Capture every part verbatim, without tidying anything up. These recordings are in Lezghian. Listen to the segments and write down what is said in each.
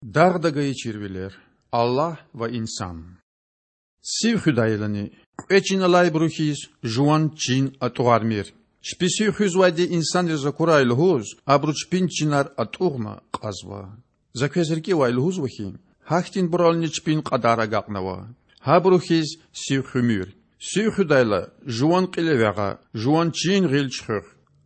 Дагъда гайи чирвилер. Аллагь ва инсан. Сив хуьдайлани, кьве чин алайбуру хьиз, жуван чин атӀугъармир. Чпи сив хуьзвайди инсанриз акурай лугьуз, абуру чпин чинар атӀугъна кьазва. За квез рикӀивай лугьузва хьи, гьахьтинбурални чпин кьадар агакьнава. Гьабуру хьиз сив хуьмир. Сив хуьдайла, жуван кьил эвягъа, жуван чин гъил чуьхуьх.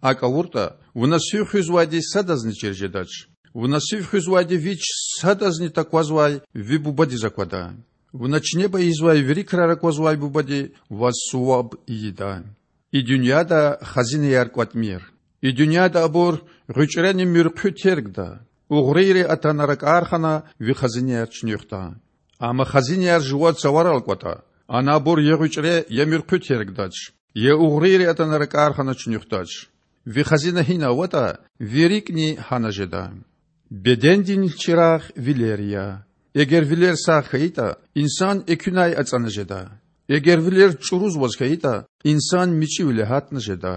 АкӀ авуртӀа, вуна сив хуьзвайди садазни чир жедач. Вуна сив хуьзвайди вич садазни таквазвай ви Бубадиз аквада. Вуна чинеба ийизвай вири крар аквазвай Бубади ваз суваб ийида. И дуьньяда хазинаяр кӀватӀмир. И дуьньяда абур гъуьчӀрени муьрхъуь тергда. Угърийри атана ракӀар хана ви хазинаяр чуьнуьхда. Амма хазинаяр жува цаварал кӀватӀа, ана абур я гъуьчӀре, я муьрхъуь тергдач, я угърийри атана ракӀар хана чуьнуьхдач. Ви хазина гьина аватӀа, ви рикӀни гьана жеда. Бедендин чирагъ вилер я. Эгер вилер сагъ хьайитӀа, инсан экуьнай ацӀана жеда. Эгер вилер чӀурузваз хьайитӀа, инсан мичӀивиле гьатна жеда.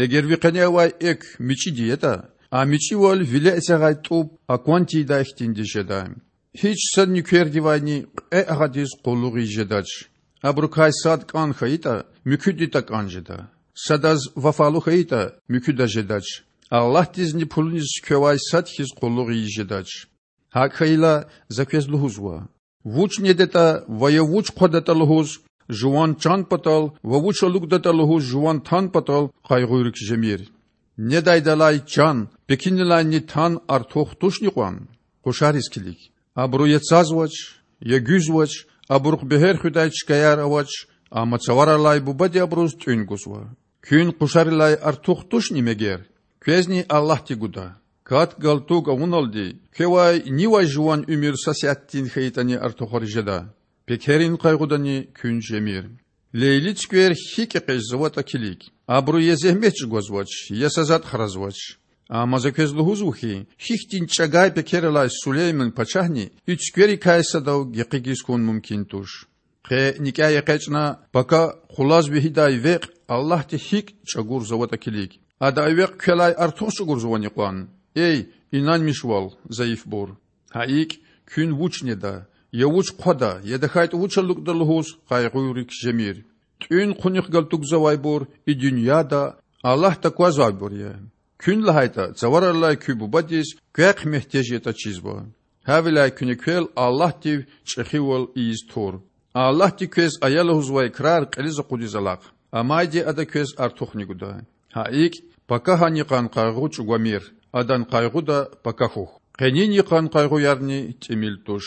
Эгер ви къене авай экв мичӀиди ятӀа, а мичӀивал виле эцягъай тӀуб акван тийидай хьтинди жеда. Гьич са нуьквердивайни кьве агъадиз къуллугъ ийиз жедач. Абурукай сад кӀан хьайитӀа, муькуьди такӀан жеда. Садаз вафалу хьайитӀа, муькуьдаз жедач. Аллагьдизни пулуниз квевай сад хьиз къуллугъ ийиз жедач. ГьакӀ хьайила, за квез лугьузва: вуч недатӀа ва я вуч хъвадатӀа лугьуз жуван чан патал ва вуч алукӀдатӀа лугьуз жуван тан патал къайгъуйрик жемир. Недайдалай чан пекинилайни тан артух тушни кьван? Къушариз килиг. Абуру я цазвач, я гуьзвач, абурухъ бегьер хуьдай чкаяр авач, амма Цавараллай Бубади абуруз тӀуьн гузва. Куьн къушарилай артух тушни мегер? Квезни Аллагьди гуда. Кат-галтуг авуналди, квевай нивай жуван уьмуьр са сятдин хьайитӀани артухариз жеда. Пекерин къайгъудани куьн жемир. Лейли цуьквер гьикӀ экъечӀзаватӀа килиг. Абуру я зегьмет чӀугвазвач, я са затӀ хразвач. Амма за квез лугьузва хьи, гьихьтин чӀагай пекер алай Сулейман пачагьни и цуькверикай садав гекъигиз хьун мумкин туш. Къе никӀяй экъечӀна пака къулаз вегьидай векь Аллагьди гьикӀ чӀагурзаватӀа килиг. Ада а векь квелай артух чӀугурзавани кьван? Эй, инанмишвал, зайифбур! Гьа икӀ, куьн вуч неда, я вуч хъвада, я тахьайтӀа вуч алукӀда лугьуз къайгъуйрик жемир. ТӀуьн-хъунихъ галтугзавайбур и дуьньяда Аллагь таквазвайбур я. Куьн лагьайтӀа, Цавараллай куь Бубадиз квехъ муьгьтеж ятӀа чизва. Гьавиляй куьне квел Аллагьдив чӀехивал ийиз тур. Аллагьди квез ая лугьузвай крар кьилиз акъудиз алахъ, амайди Ада квез артухни гуда. Гьа икӀ, пакагьан йикъан къайгъу чӀугвамир, адан къайгъуда пака хьухь. Къенин йикъан къайгъуярни тӀимил туш.